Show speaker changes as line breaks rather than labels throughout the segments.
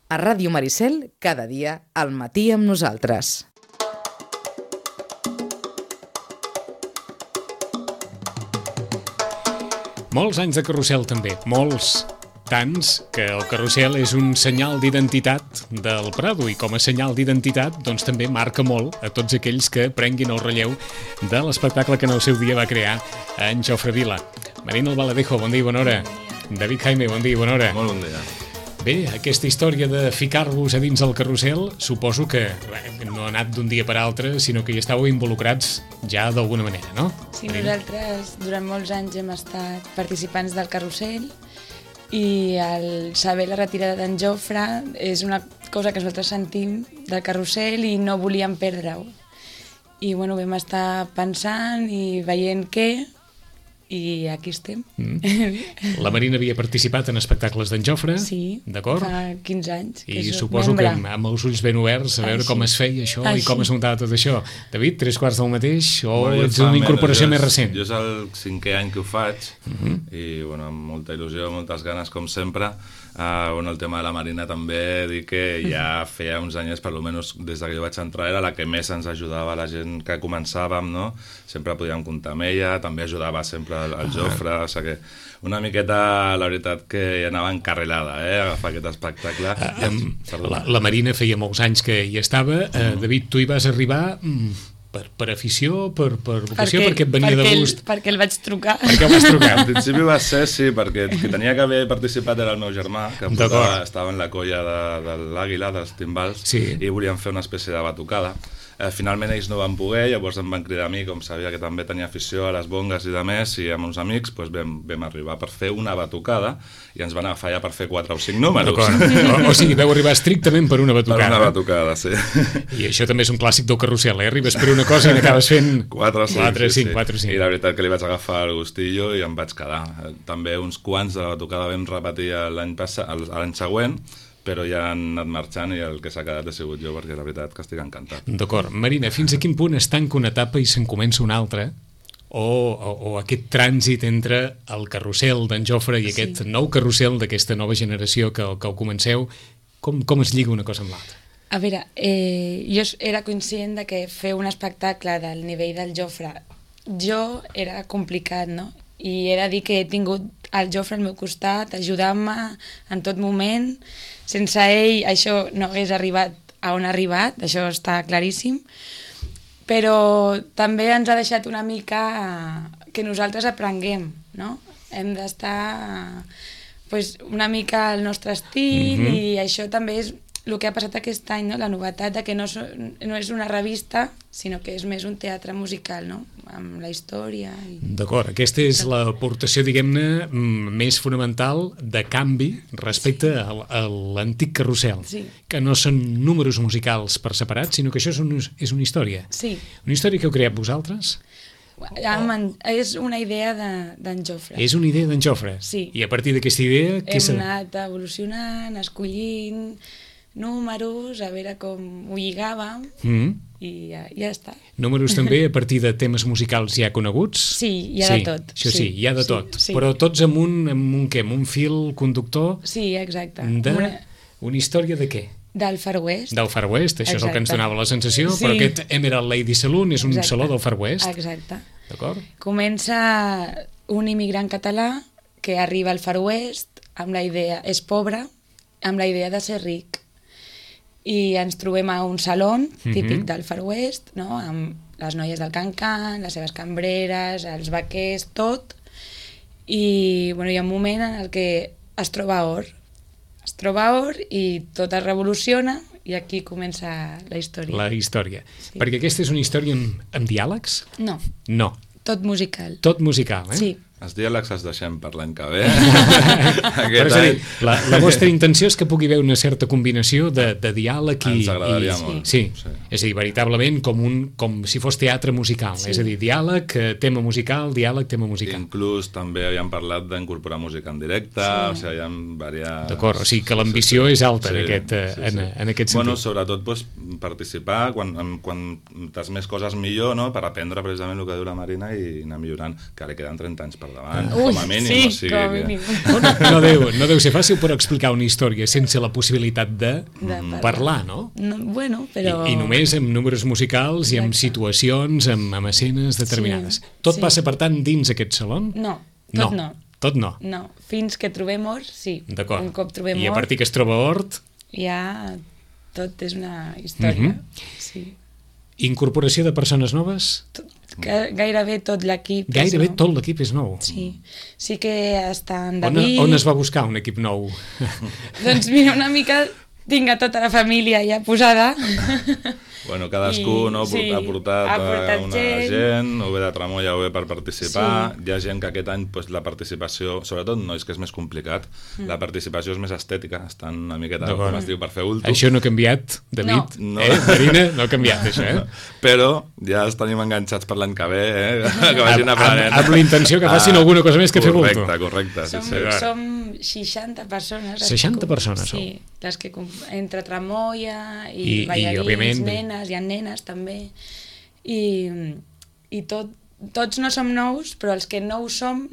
A Ràdio Maricel, cada dia, al matí amb nosaltres.
Molts anys de carrusel també, molts. Tants que el carrusel és un senyal d'identitat del Prado i com a senyal d'identitat doncs també marca molt a tots aquells que prenguin el relleu de l'espectacle que en el seu dia va crear en Jofre Vila. Marina Albaladejo, bon dia i bona hora. David Jaime, bon dia i bona hora.
Molt bon dia.
Bé, aquesta història de ficar-vos a dins el carrusel suposo que no ha anat d'un dia per altre, sinó que hi estàveu involucrats ja d'alguna manera, no?
Sí, nosaltres durant molts anys hem estat participants del carrusel i al saber la retirada d'en Jofre és una cosa que nosaltres sentim del carrusel i no volíem perdre-ho. I bueno, vam estar pensant i veient què, i aquí estem.
La Marina havia participat en espectacles d'en Jofre,
sí,
d'acord?
Fa 15 anys.
I suposo que amb els ulls ben oberts a veure com es feia això i com es muntava tot això. David, 3/4 del mateix o ets una incorporació més recent?
Jo és el 5è any que ho faig i bueno, amb molta il·lusió, moltes ganes com sempre. El tema de la Marina també dir que ja feia uns anys, per almenys des que jo vaig entrar, era la que més ens ajudava, la gent que començàvem, no? Sempre podíem comptar amb ella, també ajudava sempre el Jofre, o sigui que una miqueta, la veritat, que anava encarrilada, a agafar aquest espectacle.
La Marina feia molts anys que hi estava. David, tu hi vas arribar per afició, per vocació, perquè et venia de gust?
Perquè el vaig trucar.
Perquè el vas trucar?
Al principi va ser, sí, perquè qui tenia que haver participat era el meu germà, que estava en la colla de l'Àguila, dels timbals, i volien fer una espècie de batucada. Finalment ells no van poder, llavors em van cridar a mi, com sabia que també tenia afició a les bongues i de més, i amb uns amics vam arribar per fer una batucada i ens van agafar ja per fer 4 o 5 números.
O sigui, vau arribar estrictament per una batucada.
Per una batucada, sí.
I això també és un clàssic del carrusel, arribes per una cosa i n'acabes fent
4 o 5.
I
la veritat que li vaig agafar el gustillo i em vaig quedar. També uns quants de la batucada vam repetir l'any següent, però ja han anat marxant i el que s'ha quedat he sigut jo, perquè la veritat que estic encantat.
D'acord. Marina, fins a quin punt es tanca una etapa i se'n comença una altra? O aquest trànsit entre el carrusel d'en Jofre i aquest nou carrusel d'aquesta nova generació que ho comenceu, com es lliga una cosa amb l'altra?
A veure, jo era conscient de que fer un espectacle del nivell del Jofre era complicat, no? I he de dir que he tingut el Jofre al meu costat, ajudant-me en tot moment. Sense ell això no hagués arribat a on ha arribat, això està claríssim. Però també ens ha deixat una mica que nosaltres aprenguem, no? Hem d'estar una mica al nostre estil i això també és el que ha passat aquest any, no? La novetat de que no és una revista, sinó que és més un teatre musical, no? Amb la història.
D'acord, aquesta és l'aportació, diguem-ne, més fonamental de canvi respecte a l'antic carrusel, que no són números musicals per separat, sinó que això és una història.
Sí.
Una història que heu creat vosaltres?
És una idea d'en Jofre.
És una idea d'en Jofre?
Sí.
I a partir d'aquesta idea...
Hem anat evolucionant, escollint números, a veure com ho lligàvem i ja està.
Números també a partir de temes musicals ja coneguts?
Sí, hi ha de tot.
Això sí, hi ha de tot. Però tots amb un fil conductor?
Sí, exacte.
Una història de què?
Del Far West.
Del Far West, això és el que ens donava la sensació, però aquest Emerald Lady Saloon és un saló del Far West.
Exacte.
D'acord?
Comença un immigrant català que arriba al Far West amb la idea, és pobre, amb la idea de ser ric. I ens trobem a un saló típic del Far West, no? Amb les noies del can-can, les seves cambreres, els vaquers, tot. I hi ha un moment en el que es troba or. Es troba or i tot es revoluciona i aquí comença la història.
La història. Sí. Perquè aquesta és una història amb diàlegs?
No.
No.
Tot musical.
Tot musical,
Sí.
Els diàlegs els deixem per l'any que ve.
Però és a dir, la vostra intenció és que pugui haver una certa combinació de diàleg i...
Ens agradaria molt.
Sí. És a dir, veritablement com si fos teatre musical. És a dir, diàleg, tema musical, diàleg, tema musical.
Inclús també havíem parlat d'incorporar música en directe, o sigui, hi ha diverses...
D'acord, o sigui que l'ambició és alta en aquest sentit.
Bueno, sobretot participar, quantes més coses millor, no?, per aprendre precisament el que diu la Marina i anar millorant, que ara queden 30 anys per per davant, com a mínim.
Sí,
o sigui
com a
que...
mínim.
No deu ser fàcil, però explicar una història sense la possibilitat de parlar, no?
Bueno, però...
I només amb números musicals i amb situacions, amb escenes determinades. Tot passa, per tant, dins aquest saló?
No, tot no.
Tot no?
No, fins que trobem Hort, sí.
D'acord.
Un cop trobem
I a partir que es troba Hort...
Ja tot és una història. Sí.
Incorporació de persones noves?
Gairebé tot l'equip.
Gairebé tot l'equip és nou?
Sí. Sí que està en David...
On es va buscar un equip nou?
Doncs mira, una mica tinc a tota la família ja posada.
Bueno, cadascú ha portat una gent, o bé de Tramoia o bé per participar. Hi ha gent que aquest any la participació, sobretot nois, que és més complicat, la participació és més estètica, estan una miqueta, com es diu, per fer ulto.
Això no ha canviat, David?
No.
Marina, no ha canviat, això,
Però ja els tenim enganxats per l'any que ve, que vagin aprenent.
Amb la intenció que facin alguna cosa més que fer ulto.
Correcte.
Som 60 persones.
60 persones,
sí, les que entre Tramoia i ballarins, nenes, hi ha nenes també, i tots no som nous, però els que no ho som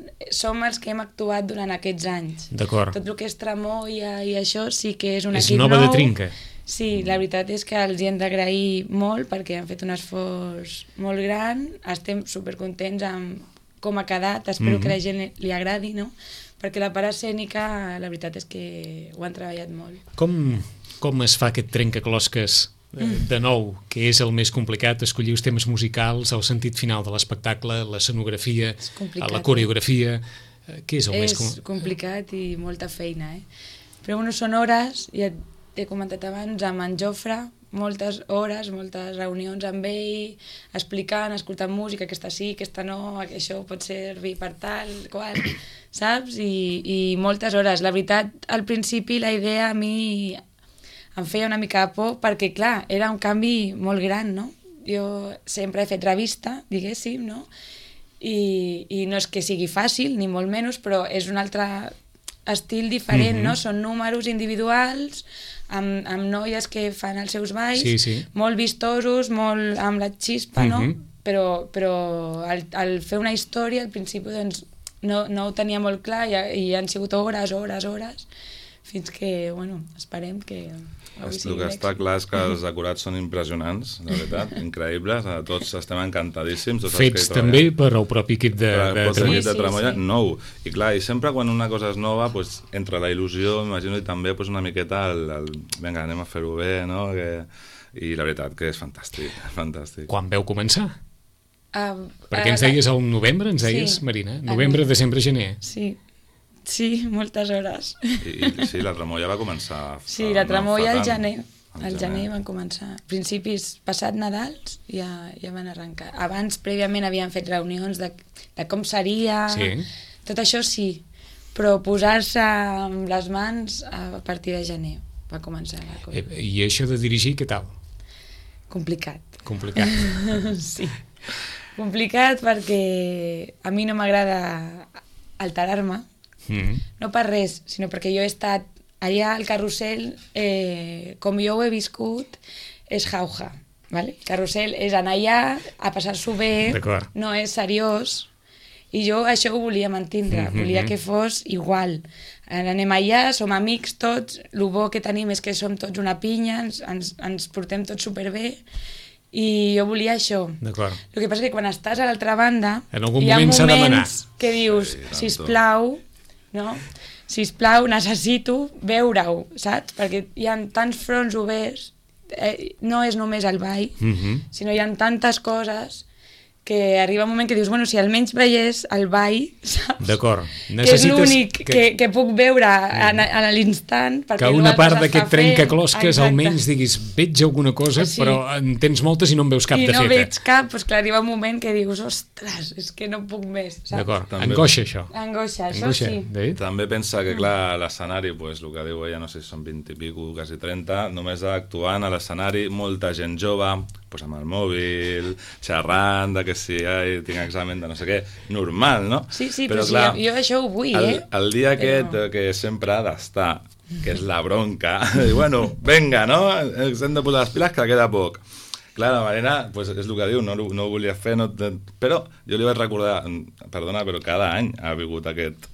els que hem actuat durant aquests anys.
D'acord.
Tot el que és Tramoia i això sí que és un equip nou.
És nova de trinca.
Sí, la veritat és que els hi hem d'agrair molt perquè han fet un esforç molt gran, estem supercontents amb com ha quedat, espero que la gent li agradi, no? Perquè la part escènica, la veritat és que ho han treballat molt.
Com es fa aquest trencaclosques de nou, que és el més complicat, escollir els temes musicals, el sentit final de l'espectacle, l'escenografia, la coreografia... Què és el més complicat?
És complicat i molta feina, Però bueno, són hores, ja t'he comentat abans, amb en Jofre, moltes hores, moltes reunions amb ell, explicant, escoltant música, aquesta sí, aquesta no, això pot servir per tal, qual, saps? I moltes hores. La veritat, al principi la idea a mi em feia una mica de por perquè, clar, era un canvi molt gran, no? Jo sempre he fet revista, diguéssim, no? I no és que sigui fàcil, ni molt menys, però és un altre estil diferent, no? Són números individuals, amb noies que fan els seus balls, molt vistosos, molt amb la xispa, no? Però al fer una història, al principi doncs, no ho tenia molt clar i han sigut hores, fins que, bueno, esperem que...
El que està clar és que els acurats són impressionants, la veritat, increïbles, tots estem encantadíssims.
Fets també per al propi equip de
Tramoia, nou. I clar, i sempre quan una cosa és nova, entre la il·lusió, m'imagino, i també una miqueta vinga, anem a fer-ho bé, no? I la veritat que és fantàstic, fantàstic.
Quan veu començar? Perquè ens deies al novembre, Marina? Novembre, desembre, gener.
Sí, moltes hores.
Sí, la Tramoia va començar...
Sí, la Tramoia al gener. Al gener van començar. Principis passat Nadals ja van arrencar. Abans, prèviament, havien fet reunions de com seria... Tot això sí, però posar-se amb les mans a partir de gener va començar la cosa.
I això de dirigir, què tal?
Complicat. Sí. Complicat perquè a mi no m'agrada alterar-me, no per res, sinó perquè jo he estat allà al carrusel, com jo ho he viscut, és jauja. El carrusel és anar allà a passar-s'ho bé, no és seriós, i jo això ho volia mantindre, volia que fos igual. Anem allà, som amics tots, el bo que tenim és que som tots una pinya, ens portem tots superbé, i jo volia això. El que passa és que quan estàs a l'altra banda hi ha moments que dius sisplau, no? Sisplau, necessito veure-ho, saps? Perquè hi ha tants fronts oberts, no és només el ball, sinó hi ha tantes coses que arriba un moment que dius, bueno, si almenys veiés el ball, saps?
D'acord.
Que és l'únic que puc veure a l'instant.
Que una part d'aquest trencaclosques almenys diguis, veig alguna cosa, però en tens moltes i no en veus cap de feta.
I no veig cap, doncs clar, arriba un moment que dius, ostres, és que no puc més, saps?
D'acord, angoixa això.
Angoixa, això sí.
També pensa que, clar, l'escenari, el que diu ella, no sé si són 20 i pico, quasi 30, només actuant a l'escenari, molta gent jove, amb el mòbil, xerrant de que si tinc examen de no sé què, normal, no?
Sí, però clar, jo això ho vull,
el dia aquest que sempre ha d'estar, que és la bronca, i bueno, venga, no? Ens hem de posar les piles que queda poc. Clar, la Marina, pues, és el que diu, no ho volia fer, però jo li vaig recordar, perdona, però cada any ha vingut aquest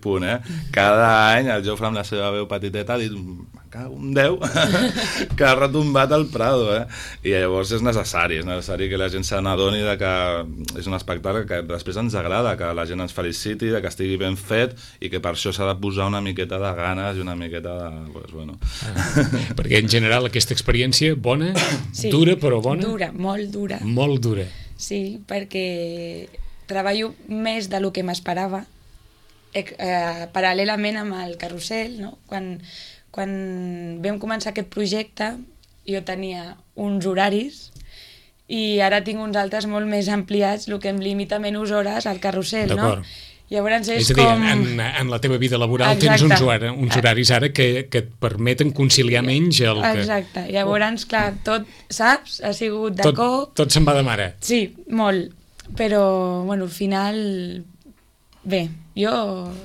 punt, Cada any el Jofre amb la seva veu petiteta ha dit, me cago en Déu, que ha retombat el Prado, I llavors és necessari que la gent se n'adoni que és un espectacle que després ens agrada, que la gent ens feliciti, que estigui ben fet i que per això s'ha de posar una miqueta de ganes i una miqueta de... Pues, bueno.
Perquè en general aquesta experiència bona,
sí,
dura però bona?
Dura, molt dura.
Molt dura.
Sí, perquè treballo més del que m'esperava, paral·lelament amb el carrusel, no? Quan vam començar aquest projecte jo tenia uns horaris i ara tinc uns altres molt més ampliats, el que em limita menys hores al carrusel, no? Llavors és
a dir,
com...
en la teva vida laboral tens uns horaris ara que et permeten conciliar menys el que...
Exacte, llavors, clar, tot, saps? Ha sigut de cop...
Tot se'n va de mare.
Sí, molt, però, bueno, al final... Bé, jo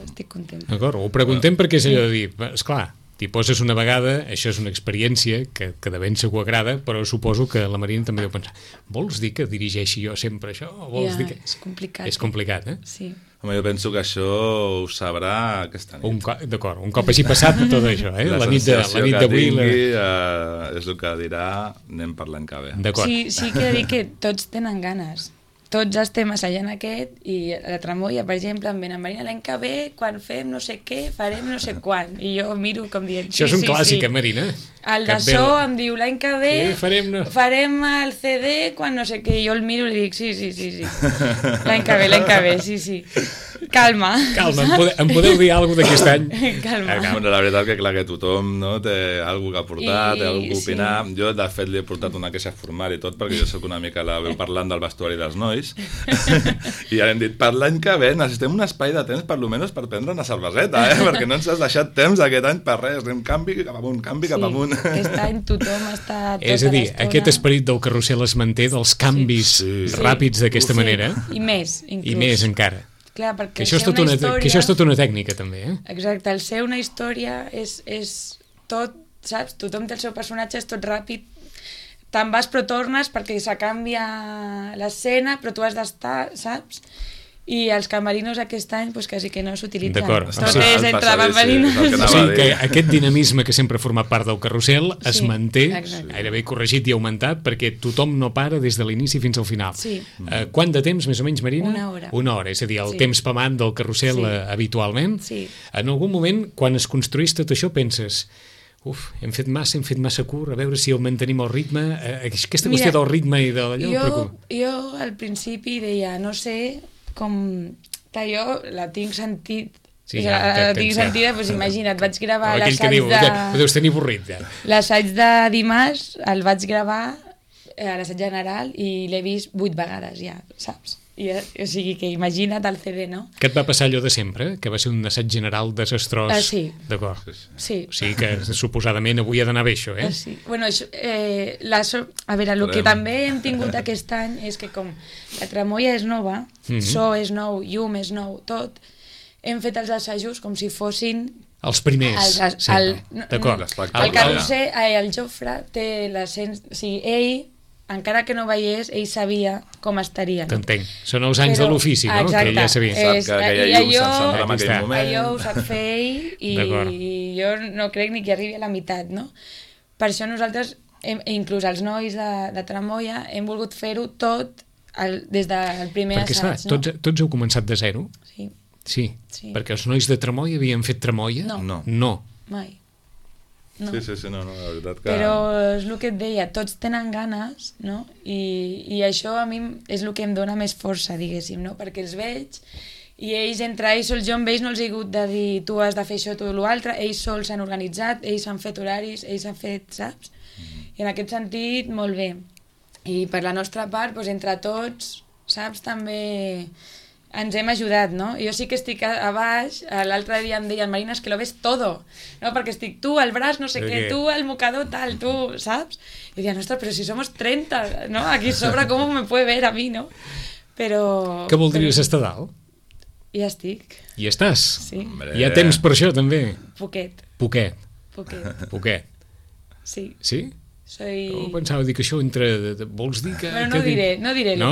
estic content.
D'acord, ho preguntem perquè és allò de dir, esclar, t'hi poses una vegada, això és una experiència que de ben segur agrada, però suposo que la Marina també deu pensar, vols dir que dirigeixi jo sempre això? O vols dir que...
És complicat.
És complicat,
Sí.
Home, jo penso que això ho sabrà aquesta nit.
D'acord, un cop hagi passat tot això, La nit d'avui...
És el que dirà, anem per l'any que ve.
Sí que he de dir que tots tenen ganes. Tots estem assajant aquest i a la Tramoia, per exemple, em venen Marina, l'any que ve, quan fem no sé què, farem no sé quan. I jo miro com dient...
Això és un clàssic, Marina?
El de so em diu, l'any que ve farem el CD quan no sé què. I jo el miro i li dic, sí. L'any que ve, sí. Calma,
em podeu dir alguna cosa d'aquest any?
Calma.
Bueno, la veritat que clar que tothom té alguna que aportar, té alguna que opinar. Jo, de fet, li he portat una queixa formal i tot, perquè jo sóc una mica la veu parlant del vestuari dels nois. I ara hem dit, per l'any que ve necessitem un espai de temps per almenys per prendre una cerveseta, perquè no ens has deixat temps aquest any per res. Anem canvi cap amunt.
Aquest any tothom està tota
és a dir, aquest esperit del carrusel es manté dels canvis ràpids d'aquesta manera.
I més, inclús.
I més encara.
Clar, perquè
que això és tota una tècnica, també,
Exacte, el ser una història és tot, saps? Tothom té el seu personatge, és tot ràpid, te'n vas però tornes perquè se canvia l'escena, però tu has d'estar, saps? I els camerinos aquest any pues, quasi que no s'utilitzen.
D'acord.
Tot és entre bambalinos.
O sigui que aquest dinamisme que sempre ha format part del carrusel es manté, gairebé corregit i augmentat, perquè tothom no para des de l'inici fins al final.
Sí.
Quant de temps, més o menys, Marina?
Una hora.
Una hora, és a dir, el temps pamant del carrusel habitualment.
Sí.
En algun moment, quan es construís tot això, penses... hem fet massa curt, a veure si el mantenim el ritme, aquesta qüestió del ritme i de allò...
Jo al principi deia, no sé com... Jo la tinc sentit, tinc sentida, doncs imagina't, vaig gravar l'assaig de...
Ho deus tenir avorrit, ja.
L'assaig de dimarts el vaig gravar a l'assaig general i l'he vist 8 vegades ja, saps? O sigui que imagina't el CD, no?
Què et va passar allò de sempre? Que va ser un assaig general desastrós?
Sí.
D'acord.
Sí.
O sigui que suposadament avui ha d'anar bé això,
Sí. Bueno, a veure, el que també hem tingut aquest any és que com la Tramoia és nova, so és nou, llum és nou, tot, hem fet els assajos com si fossin...
Els primers, d'acord.
El carrusel, el Jofre té l'ascens... O sigui, ell... encara que no veiés, ell sabia com estaria.
T'entenc. Són els anys de l'ofici, no?
Exacte.
Que ell ja sabia.
Sap que aquella llum s'encendrà en aquell moment.
Allò ho sap fer ell i jo no crec ni que arribi a la meitat, no? Per això nosaltres, inclús els nois de Tramoia, hem volgut fer-ho tot des del primer assaig.
Perquè, esclar, tots heu començat de zero?
Sí.
Perquè els nois de Tramoia havien fet Tramoia?
No.
Mai. No.
Sí, no, la veritat que...
Però és el que et deia, tots tenen ganes, no? I això a mi és el que em dona més força, diguéssim, no? Perquè els veig i ells, entre ells sols, jo amb ells no els he hagut de dir tu has de fer això, tu l'altre, ells sols s'han organitzat, ells han fet horaris, ells han fet, saps? I en aquest sentit, molt bé. I per la nostra part, doncs, entre tots, saps, també... ens hem ajudat, no? Jo sí que estic a baix, l'altre dia em deien, Marina, és que lo ves todo, no? Perquè estic tu, el braç, no sé què, tu, el mocador, tal, tu, saps? I diuen, ostres, però si somos 30, ¿no? Aquí sobra, ¿cómo me puede ver a mí, no? Però...
Què voldries estar dalt?
Ja estic.
I estàs?
Sí.
Hi ha temps per això, també?
Poquet.
Poquet.
Poquet.
Poquet.
Sí.
Sí? Pensava dir que això entre... Vols dir que...
Bueno, no diré.
No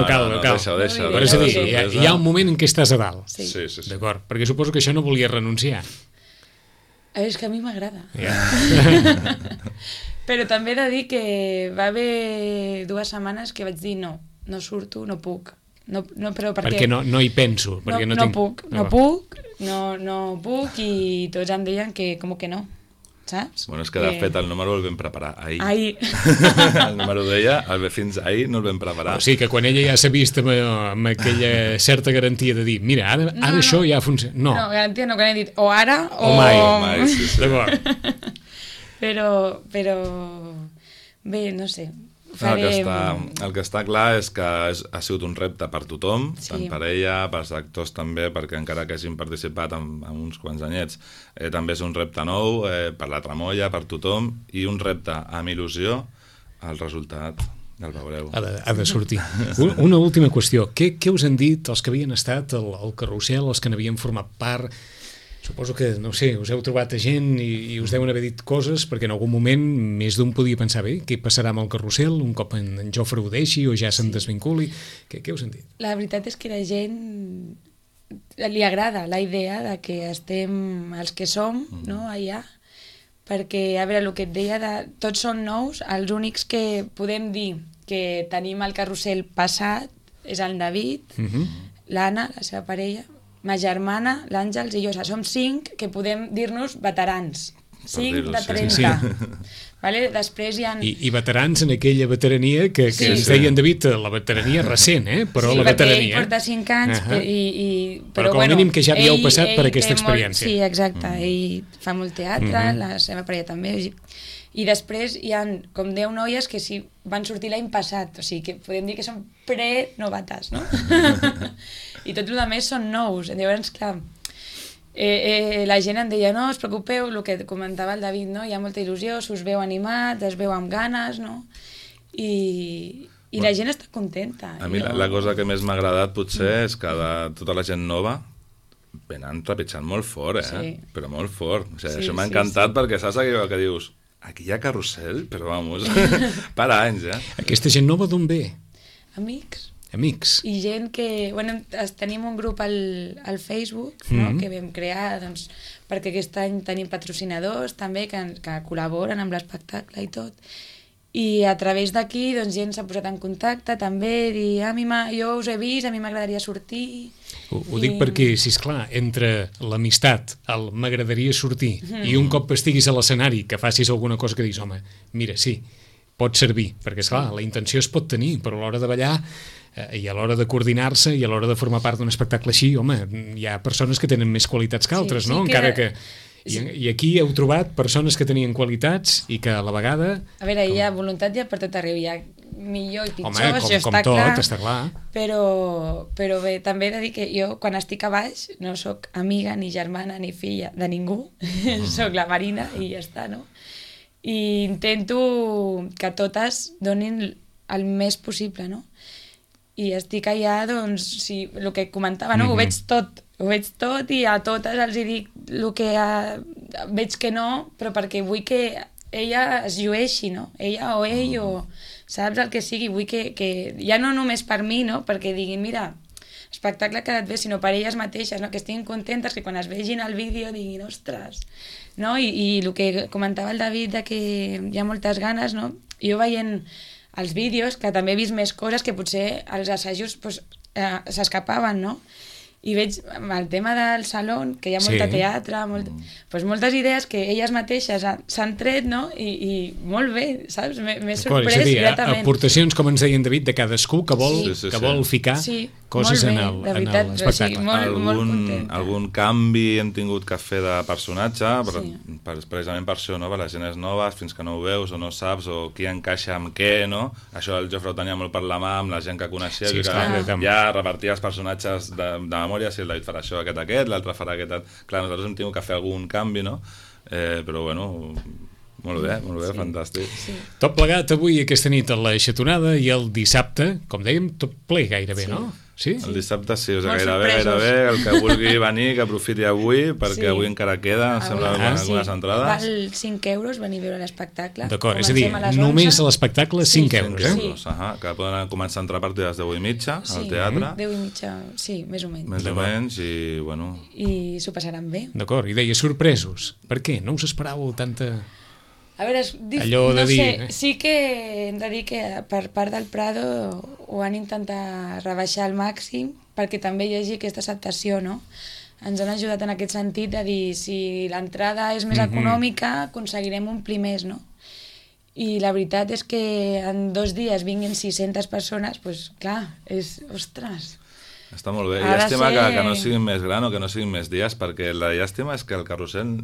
cal.
Deixa-ho.
Però és a dir, hi ha un moment en què estàs a dalt.
Sí.
D'acord, perquè suposo que això no volia renunciar.
És que a mi m'agrada.
Ja.
Però també he de dir que va haver 2 setmanes que vaig dir no surto, no puc. No, però
perquè no hi penso. Perquè
no puc i tots em deien que com que no, saps?
Bueno, és que de fet el número el vam preparar ahir. El número d'ella, fins ahir no el vam preparar.
O sigui que quan ella ja s'ha vist amb aquella certa garantia de dir mira, ara això ja funciona. No,
garantia no, quan he dit o ara
o mai. Sí. D'acord.
Però bé, no sé.
El que està clar és que ha sigut un repte per tothom, tant per ella, pels actors també, perquè encara que hagin participat en uns quants anyets, també és un repte nou per la tramoia, per tothom, i un repte amb il·lusió. El resultat el veureu.
Ha de sortir. Una última qüestió. Què us han dit els que havien estat al carrusel, els que n'havien format part? Suposo que, no sé, us heu trobat a gent i us deuen haver dit coses perquè en algun moment més d'un podia pensar bé, què passarà amb el carrusel un cop en Jofre ho deixi o ja se'n desvinculi? Què us han dit?
La veritat és que la gent li agrada la idea de que estem els que som, no, allà, perquè, a veure, el que et deia, tots són nous, els únics que podem dir que tenim el carrusel passat és el David, l'Anna, la seva parella, ma germana, l'Àngels i jo, som 5 que podem dir-nos veterans. 5 de 30. Sí. Vale? Després hi ha...
I veterans en aquella veterania que ens deien, David, la veterania recent, però la veterania...
Sí, perquè ell porta 5 anys,
però com a mínim que ja havíeu passat per aquesta experiència.
Sí, exacte. Ell fa molt teatre, la seva parella també. I després hi ha com 10 noies que sí van sortir l'any passat, o sigui que podem dir que són pre-novates, no? I tot el més són nous. Llavors, clar, la gent em deia, no, us preocupeu, el que comentava el David, no? Hi ha molta il·lusió, s'us veu animats, es veu amb ganes, no? I la gent està contenta.
A mi la cosa que més m'ha agradat potser és que tota la gent nova venen trepitjant molt fort, però molt fort. O sigui, això m'ha encantat perquè saps allò que dius, aquí hi ha carrusel, però vamos, per anys,
Aquesta gent nova d'on ve?
Amics.
I
gent que... Bueno, tenim un grup al Facebook, no? Que vam crear, doncs, perquè aquest any tenim patrocinadors també que col·laboren amb l'espectacle i tot. I a través d'aquí, doncs, gent s'ha posat en contacte també, dir, jo us he vist, a mi m'agradaria sortir...
Ho dic perquè, sisplau, entre l'amistat, el m'agradaria sortir, i un cop estiguis a l'escenari que facis alguna cosa que diguis, home, mira, sí, pot servir, perquè, esclar, la intenció es pot tenir, però a l'hora de ballar i a l'hora de coordinar-se i a l'hora de formar part d'un espectacle així, home, hi ha persones que tenen més qualitats que altres, no? Encara que... I aquí heu trobat persones que tenien qualitats i que a la vegada...
A veure, hi ha voluntat ja per tot arreu, hi ha millor i pitjor,
això està clar.
Però bé, també he de dir que jo, quan estic a baix, no sóc amiga, ni germana, ni filla de ningú, sóc la Marina i ja està, no? I intento que totes donin el més possible, no? I estic allà, doncs, sí, el que comentava, no? Ho veig tot i a totes els dic el que veig que no, però perquè vull que ella es llueixi, no? Ella o ell o saps el que sigui, vull que ja no només per mi, no? Perquè diguin, mira, espectacle ha quedat bé, sinó per elles mateixes, no? Que estiguin contentes, que quan es vegin el vídeo diguin, ostres, no? I el que comentava el David de que hi ha moltes ganes, no? Jo veient els vídeos, que també he vist més coses que potser els assajos s'escapaven, no? I veig el tema del saló, que hi ha molta teatre, moltes idees que elles mateixes s'han tret, no? I molt bé, saps? M'he sorprès gratament.
Aportacions, com ens deien David, de cadascú que vol ficar coses en l'espectacle.
Algun canvi hem tingut que fer de personatge, precisament per això, no? Per les gent noves, fins que no ho veus o no saps, o qui encaixa amb què, no? Això el Jofre ho tenia molt per la mà, amb la gent que coneixia, ja repartia els personatges de memòria, si el David farà això, aquest, l'altre farà aquest... Clar, nosaltres hem tingut que fer algun canvi, no? Però, bueno, molt bé, fantàstic.
Tot plegat avui, aquesta nit, a la Xatonada, i el dissabte, com dèiem, tot ple gairebé, no? Sí?
El dissabte sí, o sigui,
Molt
gairebé,
sorpresos.
el que vulgui venir, que aprofiti avui, perquè
Sí.
avui encara queda, em sembla, algunes entrades.
Val 5 euros venir a veure l'espectacle.
D'acord, és a dir,
Comencem les
només
11.
a l'espectacle 5 euros, eh?
Sí.
Que poden començar a entrar a partir de les 10:30 al teatre,
10:30, sí, més o menys.
més o menys, i bueno...
I s'ho passaran bé.
D'acord, i deia sorpresos. Per què? No us esperàveu tanta...
A veure,
Allò de
no
dir,
sé, sí que hem de dir que per part del Prado ho han intentat rebaixar al màxim perquè també hi hagi aquesta acceptació, no? Ens han ajudat en aquest sentit de dir si l'entrada és més econòmica aconseguirem omplir més, no? I la veritat és que en 2 dies vinguin 600 persones, doncs clar, ostres...
Està molt bé.
Ha de
Llàstima
ser-
que no siguin més gran o que no siguin més dies, perquè la llàstima és que el carrusel,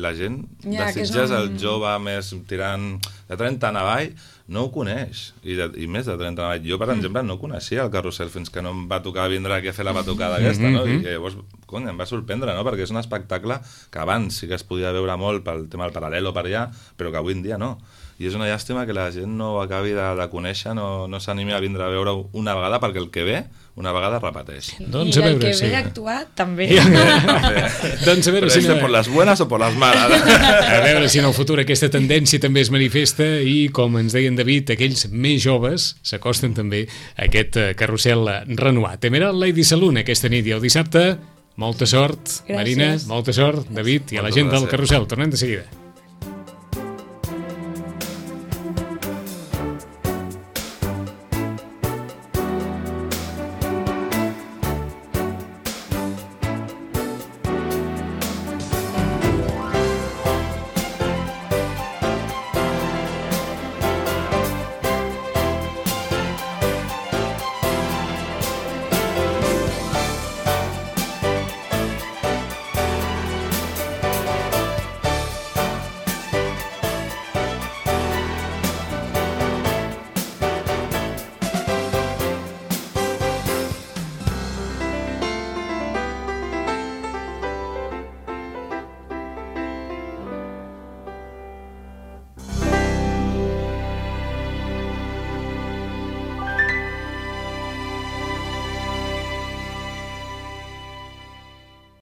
la gent
Ja, que és
desitges
un-
el jove més tirant de 30 en avall, no ho coneix, i més de 30 en avall. Jo, per exemple, no coneixia el carrusel fins que no em va tocar vindre aquí a fer la batucada aquesta, no? I llavors, cony, em va sorprendre, no? Perquè és un espectacle que abans sí que es podia veure molt pel tema del paral·lel o per allà, però que avui en dia no. I és una llàstima que la gent no ho acabi de conèixer, no s'animi a vindre a veure una vegada, perquè el que ve, una vegada repeteix.
Doncs
I
a
el
veure,
que
sí.
ve d'actuar també.
Doncs a veure
Però
si...
por las buenas o por las malas.
A veure si en el futur aquesta tendència també es manifesta i, com ens deien David, aquells més joves s'acosten també a aquest carrusel renovat. Temera Lady Saloon aquesta nit i el dissabte. Molta sort,
Gràcies.
Marina, molta sort, David, i a la
Moltes
gent del
gràcies.
carrusel. Tornem de seguida.